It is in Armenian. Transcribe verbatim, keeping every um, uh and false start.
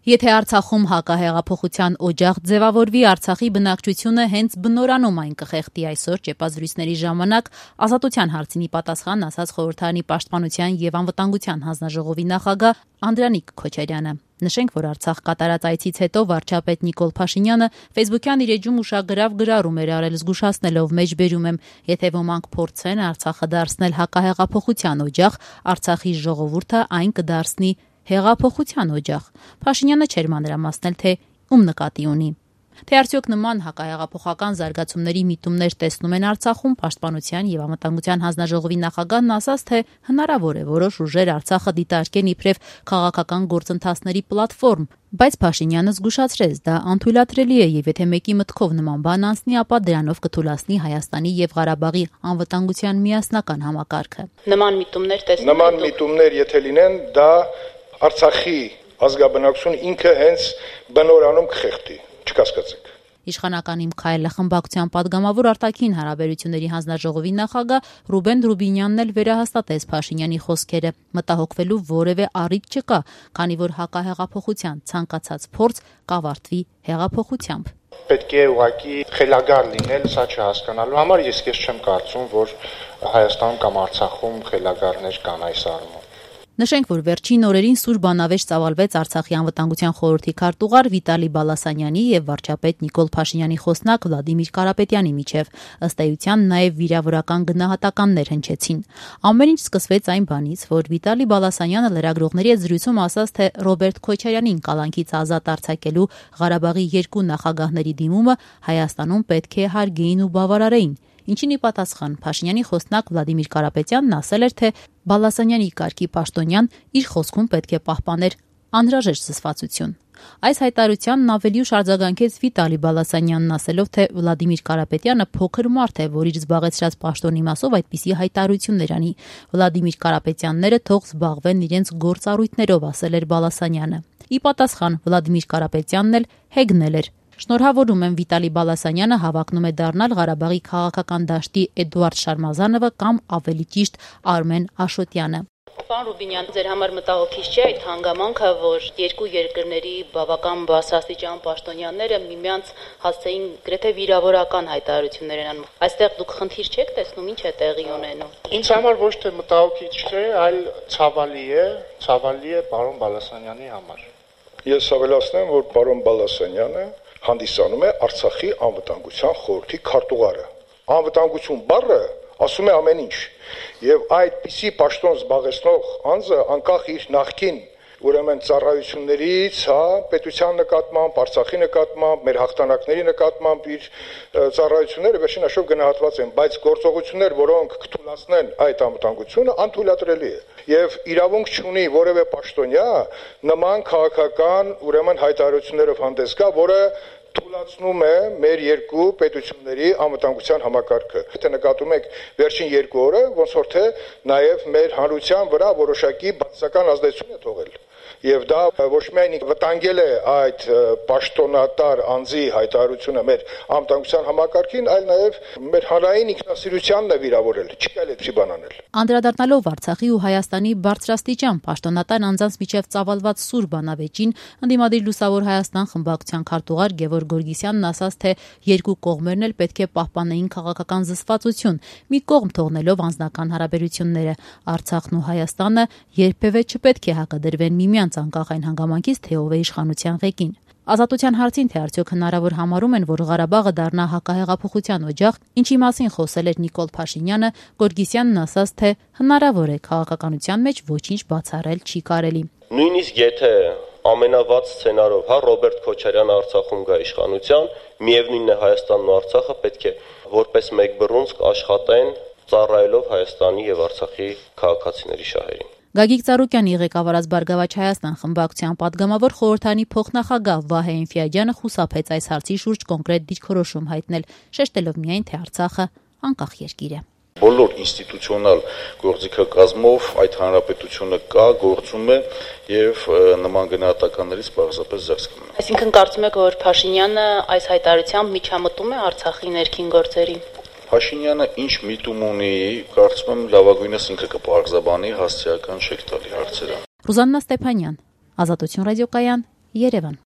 Եթե Արցախում հակահեղափոխության օջախ ձևավորվի, Արցախի բնակչությունը հենց բնորանում այն կխեղդի այսօր ճեպազրույցների ժամանակ Ազատության հարցինի պատասխան ասաց Խորհրդարանի պաշտպանության եւ անվտանգության հանձնաժողովի նախագահ Անդրանիկ Քոչարյանը։ Նշենք, որ Արցախ կատարած այցից հետո վարչապետ Նիկոլ Փաշինյանը Facebook-յան իր էջում ուշագրավ գրառում էր արել, զգուշացնելով մեջբերում եմ, եթե ոմանք փորձեն Արցախը դարձնել հակահեղափոխության օջախ, Արցախի ժողովուրդը այն կդարձնի հեղափոխության օջախ։ Փաշինյանը չէր մանրամասնել, թե ում նկատի ունի։ Թե արդյոք նման հակահեղափոխական զարգացումների միտումներ տեսնում են Արցախում, Պաշտպանության եւ անվտանգության հանձնաժողովի նախագահն ասաց, թե հնարավոր է որոշ ուժեր Արցախը դիտարկեն իբրև քաղաքական գործընթացների պլատֆորմ, բայց Փաշինյանը զգուշացրեց, դա անթույլատրելի է եւ եթե մեկի մտքով նման բան անցնի, ապա դրանով կթուլացնի Հայաստանի եւ Ղարաբաղի անվտանգության միասնական համակարգը։ Նման միտումներ տեսնում եք։ Նման միտումներ եթե լինեն, դա Արցախի ազգաբնակչությունը ինքը հենց բնորանում կխեղդի, չկասկածեք։ Իշխանական իմ քայլը խմբակցության падգամավոր արտաքին հարաբերությունների հանձնաժողովի նախագահ Ռուբեն Ռուբինյանն էլ վերահաստատեց Փաշինյանի խոսքերը, մտահոգվելու որևէ առիթ չկա, քանի որ հակահեղափոխության ցանկացած փորձ կավարտվի հեղափոխությամբ։ Պետք է ուղղակի խելագար լինել, սա չհասկանալու համար ես քեզ չեմ կարծում, որ Հայաստանում կամ Արցախում խելագարներ կան այս առումով։ Նշենք, որ վերջին օրերին սուր բանավեճ ծավալվեց Արցախի անվտանգության խորհրդի քարտուղար Վիտալի Բալասանյանի եւ վարչապետ Նիկոլ Փաշինյանի խոսնակ Վլադիմիր Կարապետյանի միջև, ըստ էության նաեւ վիրավորական գնահատականներ հնչեցին։ Ամեն ինչ սկսվեց այն բանից, որ Վիտալի Բալասանյանը լրագրողների հետ զրույցում ասաց, թե Ռոբերտ Քոչարյանին կալանքից ազատ արձակելու Ղարաբաղի երկու նախագահների դիմումը Հայաստանում պետք է հարգեին ու բավարարեին։ Ինչին ի պատասխան Փաշինյանի խոսնակ Վլադիմիր Կարապետյանն ասել էր, թե Բալասանյանի կարգի պաշտոնյան իր խոսքում պետք է պահպաներ անհրաժեշտ զսպվածություն։ Այս հայտարարությանն ավելի ուշ արձագանքեց Վիտալի Բալասանյանն ասելով, թե Վլադիմիր Կարապետյանը փոքր մարդ է, որ իր զբաղեցրած պաշտոնի մասով այդպիսի հայտարարություններ անի։ Վլադիմիր Կարապետյանները թող զբաղվեն իրենց գործառույթներով, ասել էր Բալասանյանը։ Ի պատասխան Վլադիմիր Կարապետյանն էլ հեգնել էր։ Շնորհավորում եմ Վիտալի Բալասանյանը հավակնում է դառնալ Ղարաբաղի քաղաքական դաշտի Էդուարդ Շարմազանովը կամ ավելի ճիշտ Արմեն Աշոտյանը։ Պարոն Ռուբինյան, ձեր համար մտահոգիչ չէ այդ հանգամանքը, որ երկու երկրների բավական բարձրաստիճան պաշտոնյաները միմյանց հասցեին գրեթե վիրավորական հայտարարություններ են անում։ Այստեղ դուք խնդիր չեք տեսնում, ինչ է տեղի ունենում։ Ինձ համար ոչ թե մտահոգիչ չէ, այլ ցավալի է, ցավալի է պարոն Բալասանյանի համար։ Ես ավելացնեմ, որ պարոն Բալասանյանը հանդիսանում է Արցախի անվտանգության խորհրդի քարտուղարը։ Անվտանգություն բառը ասում է ամեն ինչ։ Եվ այդպիսի պաշտոն զբաղեցնող անձը անկախ իր նախկին ուրեմն ծառայություններից, հա, պետության նկատմամբ, Արցախի նկատմամբ, մեր հաղթանակների նկատմամբ իր ծառայությունները վերջին հաշվով գնահատված են, բայց գործողություններ, որոնք կթույլատնեն այդ անվտանգությունը, անթույլատրելի է։ Եվ իրավունք չունի որևէ պաշտոնյա նման քաղաքական ուրեմն հայտարարություններով հանդես գա, որը թույլատնում է մեր երկու պետությունների անվտանգության համակարգը։ Եթե նկատում եք վերջին երկու օրը, ոնց որ թե նաև մեր հանրության վրա որոշակի բացասական ազդեցություն է թողել։ Եվ դա ոչ միայն վտանգել է այդ պաշտոնատար անձի հայտարարությունը մեր անվտանգության համակարգին, այլ նաև մեր հանրային ինքնասիրությանն է վիրավորել։ Չի կարելի այդպիսի բան անել։ Անդրադառնալով Արցախի ու Հայաստանի բարձրաստիճան պաշտոնատար անձանց միջև ծավալված սուր բանավեճին, ընդդիմադիր Լուսավոր Հայաստան խմբակցության քարտուղար Գևորգ Գորգիսյանն ասաց, թե երկու կողմերն էլ պետք է պահպանեին քաղաքական զսպվածություն, մի կողմ թողնելով անձնական հարաբերությունները։ Արցախն ու Հայաստանը երբևէ չպետք է հակադրվեն միմյանց անկախ այն հանգամանքից, թե ով է իշխանության ղեկին։ Ազատության հարցին, թե արդյոք հնարավոր համարում են, որ Ղարաբաղը դառնա հակահեղափոխության օջախ, ինչի մասին խոսել էր Նիկոլ Փաշինյանը, Գորգիսյանն ասաց, թե հնարավոր է քաղաքականության մեջ ոչինչ բացառել չի կարելի։ Նույնիսկ եթե ամենավատ սցենարով, հա, Ռոբերտ Քոչարյանը Արցախում գա իշխանության, միևնույնն է Հայաստանն ու Արցախը պետք է որպես մեկ բռունցք աշխատեն, ծառայելով Հայաստանի եւ Արցախի քաղաքացիների շահերին։ Գագիկ Ծառուկյանի ղեկավարած Բարգավաճ Հայաստան խմբակցության падգամավոր խորհրդանի փոխնախագահ Վահե Էնֆիադյանը խուսափեց այս հարցի շուրջ կոնկրետ դիրքորոշում հայտնել, շեշտելով միայն, թե Արցախը անկախ երկիր է։ Բոլոր ինստիտուցիոնալ գործիքակազմով այդ հանրապետությունը կա, գործում է եւ նման գնահատականներից պարզապես զերծ կմնա։ Այսինքն կարծում եք, որ Փաշինյանը այս հայտարարությամբ միջամտում է Արցախի ներքին գործերին։ Փաշինյանը ինչ միտում ունի, կարծում եմ լավագույնս ինքը կպարզաբանի, հասցեական չեք տալի հարցերը։ Ռուզաննա Ստեփանյան, Ազատություն ռադիոկայան, Երևան։